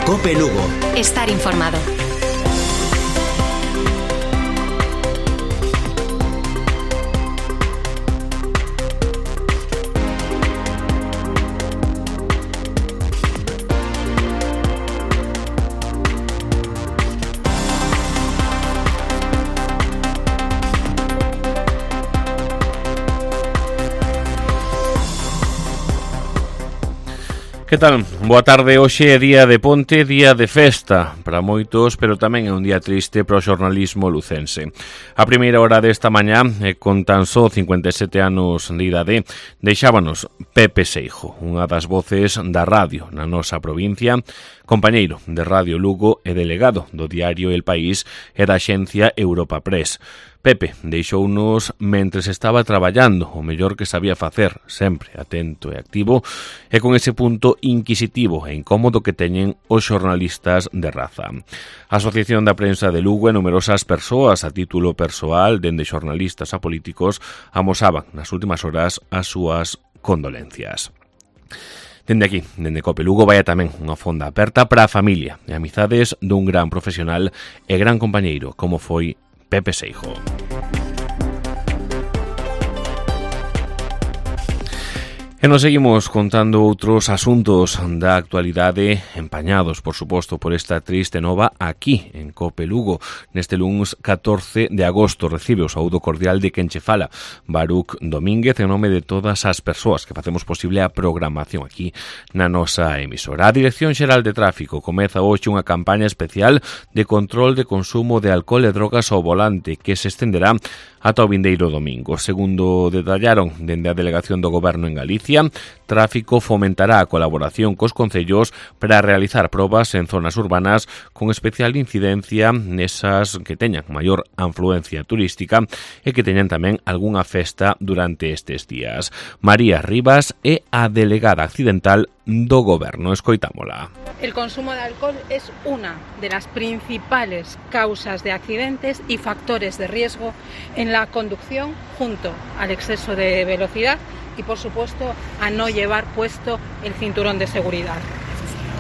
Cope Lugo. Estar informado. Que tal? Boa tarde. Hoxe é día de ponte, día de festa para moitos, pero tamén é un día triste para o xornalismo lucense. A primeira hora desta mañá, con tan só 57 anos de idade, deixábanos Pepe Seijo, unha das voces da radio na nosa provincia, compañeiro de Radio Lugo e delegado do diario El País e da axencia Europa Press. Pepe deixounos mentres estaba traballando, o mellor que sabía facer, sempre atento e activo, e con ese punto inquisitivo e incómodo que teñen os xornalistas de raza. A Asociación da Prensa de Lugo e numerosas persoas a título persoal, dende xornalistas a políticos, amosaban nas últimas horas as súas condolencias. Dende aquí, dende Cope Lugo, vai tamén unha fonda aperta para a familia e amizades dun gran profesional e gran compañeiro como foi Pepe Seijo. E nos seguimos contando outros asuntos da actualidade empañados, por suposto, por esta triste nova aquí, en Cope Lugo. Neste luns 14 de agosto recibe o saúdo cordial de quen che fala, Baruch Domínguez, en nome de todas as persoas que facemos posible a programación aquí na nosa emisora. A Dirección Xeral de Tráfico comeza hoxe unha campaña especial de control de consumo de alcohol e drogas ao volante que se estenderá ata o vindeiro domingo. Segundo detallaron dende a Delegación do Goberno en Galicia, Tráfico fomentará a colaboración cos concellos para realizar probas en zonas urbanas con especial incidencia nesas que teñan maior afluencia turística e que teñan tamén algunha festa durante estes días. María Rivas é a delegada accidental do Goberno. Escoitámola. El consumo de alcohol es una de las principales causas de accidentes y factores de riesgo en la conducción, junto al exceso de velocidad y, por supuesto, a no llevar puesto el cinturón de seguridad.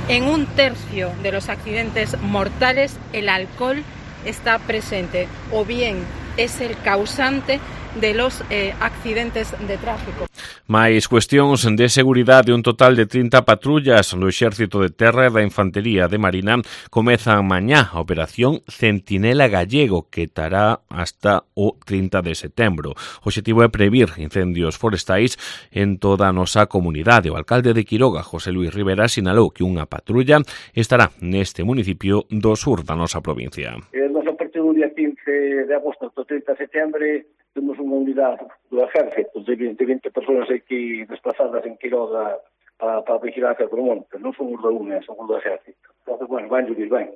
En 1/3 de los accidentes mortales, el alcohol está presente o bien es el causante de los accidentes de tráfico. Mais cuestións de seguridade, un total de 30 patrullas do Exército de Terra e da Infantería de Marina comezan mañá a Operación Centinela Gallego, que estará hasta o 30 de setembro. O obxectivo é previr incendios forestais en toda a nosa comunidade. O alcalde de Quiroga, José Luis Rivera, sinalou que unha patrulla estará neste municipio do sur da nosa provincia. Nos a partir do día 15 de agosto ao 30 de setembro temos unha unidade do Exército de 20 persoas aquí desplazadas en Quiroga para a vigilancia do monte. Non son os da UNE, son os do Exército. Entón, bueno, van lluvir ben.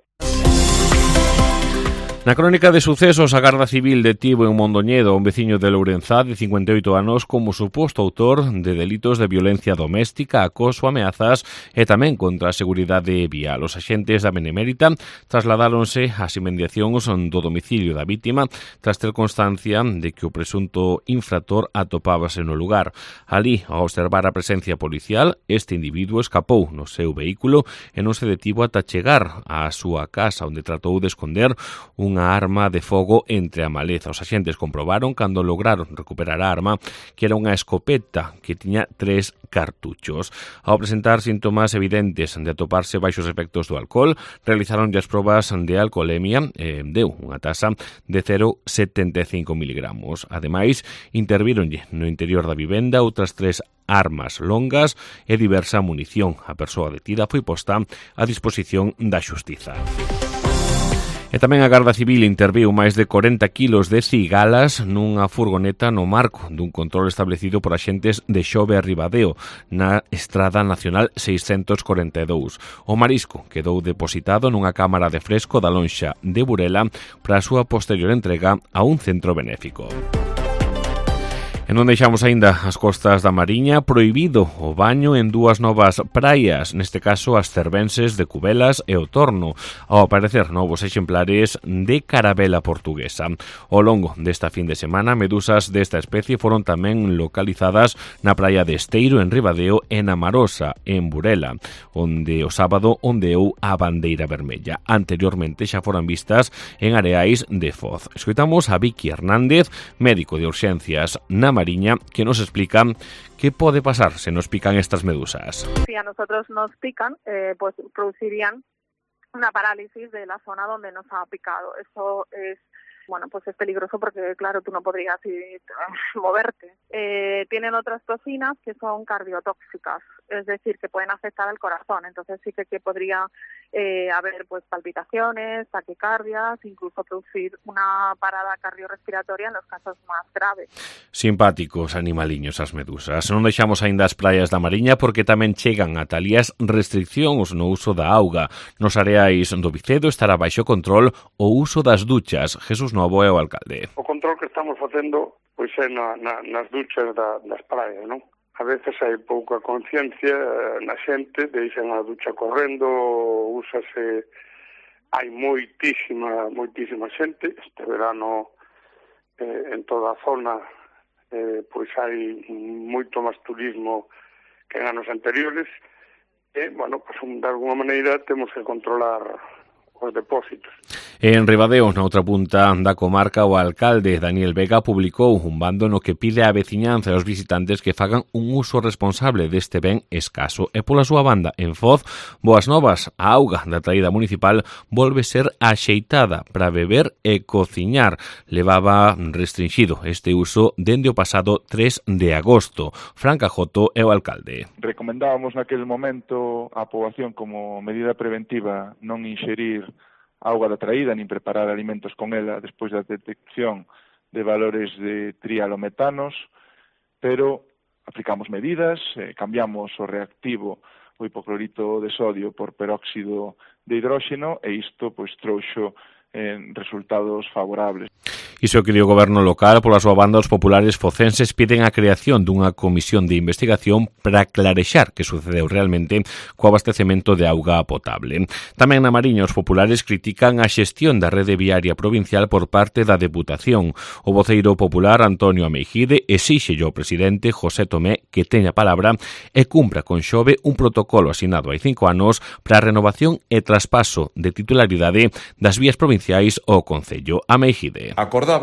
Na crónica de sucesos, a Garda Civil detivo en Mondoñedo a un veciño de Lourenzá de 58 anos como suposto autor de delitos de violencia doméstica, acoso, ameazas e tamén contra a seguridade vial. Os axentes da Benemérita trasladáronse ás inmediacións do domicilio da vítima tras ter constancia de que o presunto infractor atopábase no lugar. Alí, ao observar a presencia policial, este individuo escapou no seu vehículo e non se detivo ata chegar á súa casa, onde tratou de esconder unha arma de fogo entre a maleza. Os axentes comprobaron cando lograron recuperar a arma que era unha escopeta que tiña 3 cartuchos. Ao presentar síntomas evidentes de atoparse baixos efectos do alcohol, realizaron as probas de alcoholemia e deu unha tasa de 0,75 miligramos. Ademais, intervíronlle no interior da vivenda outras 3 armas longas e diversa munición. A persoa detida foi posta a disposición da xustiza. E tamén a Garda Civil interviu máis de 40 kilos de cigalas nunha furgoneta no marco dun control establecido por axentes de Xove a Ribadeo na Estrada Nacional 642. O marisco quedou depositado nunha cámara de fresco da lonxa de Burela para a súa posterior entrega a un centro benéfico. En onde deixamos aínda as costas da Mariña, prohibido o baño en dúas novas praias, neste caso as cervenses de Cubelas e o Torno, ao aparecer novos exemplares de carabela portuguesa. Ao longo desta fin de semana, medusas desta especie foron tamén localizadas na praia de Esteiro, en Ribadeo, e na Marosa, en Burela, onde o sábado ondeou a bandeira vermella. Anteriormente xa foran vistas en Areais de Foz. Escoitamos a Vicky Hernández, médico de urxencias na Mariña, que nos explica qué puede pasar si nos pican estas medusas. Si a nosotros nos pican, pues producirían una parálisis de la zona donde nos ha picado. Eso es, bueno, pues es peligroso porque, claro, tú no podrías moverte. Tienen otras toxinas que son cardiotóxicas, es decir, que pueden afectar al corazón. Entonces sí que podría haber pues palpitaciones, taquicardias, incluso producir una parada cardiorrespiratoria en los casos más graves. Simpáticos animaliños as medusas. Non deixamos aínda as praias da Mariña porque tamén chegan a talías restriccións no uso da auga. Nos areais do Vicedo estará baixo control o uso das duchas. Jesús Novo é o alcalde. O control que estamos facendo pois é nas duchas das praias, non? A veces hai pouca conciencia na xente, deixan a ducha correndo, úsase, hai moitísima xente. Este verano en toda a zona pois hai moito máis turismo que en anos anteriores e, bueno, pues, de alguma maneira temos que controlar os depósitos. En Ribadeo, na outra punta da comarca, o alcalde Daniel Vega publicou un bando no que pide á veciñanza e aos visitantes que fagan un uso responsable deste ben escaso. E pola súa banda, en Foz, boas novas, a auga da traída municipal volve ser axeitada para beber e cociñar. Levaba restringido este uso dende o pasado 3 de agosto. Fran Cajoto é o alcalde. Recomendábamos naquele momento á poboación como medida preventiva non inxerir auga da traída nin preparar alimentos con ela despois da detección de valores de trialometanos, pero aplicamos medidas, cambiamos o reactivo, o hipoclorito de sodio por peróxido de hidróxeno e isto pois trouxo resultados favorables. Iso que dio o goberno local, pola súa banda, os populares focenses piden a creación dunha comisión de investigación para clarexar que sucedeu realmente co abastecemento de auga potable. Tamén na Mariña, os populares critican a xestión da rede viaria provincial por parte da Deputación. O voceiro popular, Antonio Ameijide, exíxelle ao presidente José Tomé que teña palabra e cumpra con Xove un protocolo asinado hai 5 anos para a renovación e traspaso de titularidade das vías provinciais ao Concello. Ameijide acordaba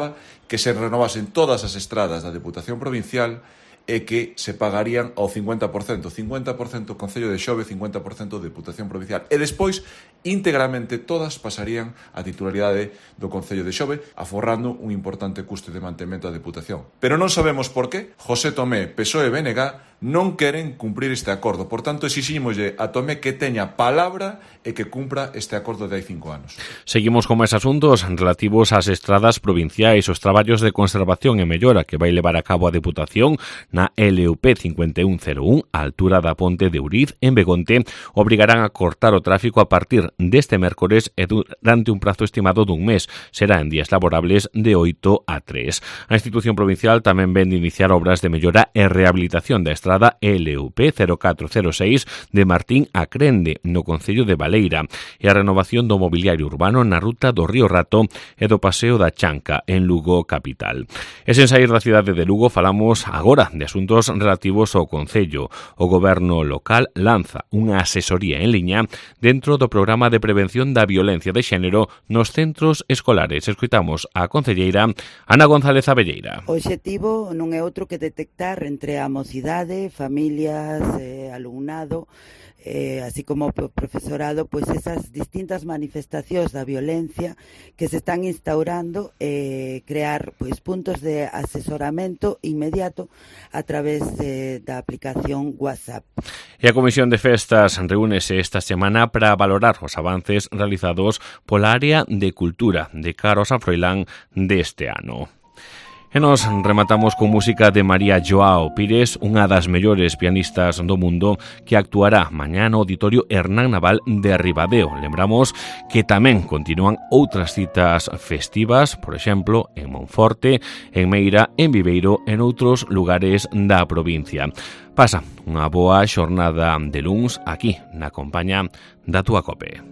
que se renovasen todas as estradas da Deputación Provincial e que se pagarían ao 50% o Concello de Xove, 50% de Deputación Provincial. E despois, íntegramente, todas pasarían a titularidade do Concello de Xove, aforrando un importante custe de mantemento da Deputación. Pero non sabemos por qué José Tomé, PSOE e BNG non queren cumprir este acordo. Por tanto, exixímoslle a Tomé que teña palabra e que cumpra este acordo de hai 5 anos. Seguimos con máis asuntos relativos ás estradas provinciais. Os traballos de conservación e mellora que vai levar a cabo a Deputación na LUP 5101, a altura da ponte de Uriz, en Begonte, obrigarán a cortar o tráfico a partir deste mércores e durante un prazo estimado dun mes. Será en días laborables de 8 a 3. A institución provincial tamén ven de iniciar obras de mellora e rehabilitación da estrada LUP 0406 de Martín a Crende, no Concello de Baleira, e a renovación do mobiliario urbano na ruta do Río Rato e do Paseo da Chanca, en Lugo capital. E sen saír da cidade de Lugo, falamos agora de asuntos relativos ao Concello. O goberno local lanza unha asesoría en liña dentro do programa de prevención da violencia de xénero nos centros escolares. Escoitamos a concelleira Ana González Abelleira. O obxectivo non é outro que detectar entre a mocidade, familias, alumnado, así como o profesorado, pois esas distintas manifestacións da violencia que se están instaurando, crear pois puntos de asesoramento inmediato a través da aplicación WhatsApp. E a Comisión de Festas reúnese esta semana para valorar os avances realizados pola área de cultura de cara ao San Froilán deste ano. E nos rematamos con música de María Joao Pires, unha das mellores pianistas do mundo, que actuará mañá no Auditorio Hernán Naval de Ribadeo. Lembramos que tamén continúan outras citas festivas, por exemplo, en Monforte, en Meira, en Viveiro e en outros lugares da provincia. Pasa unha boa xornada de luns aquí na compañía da túa COPE.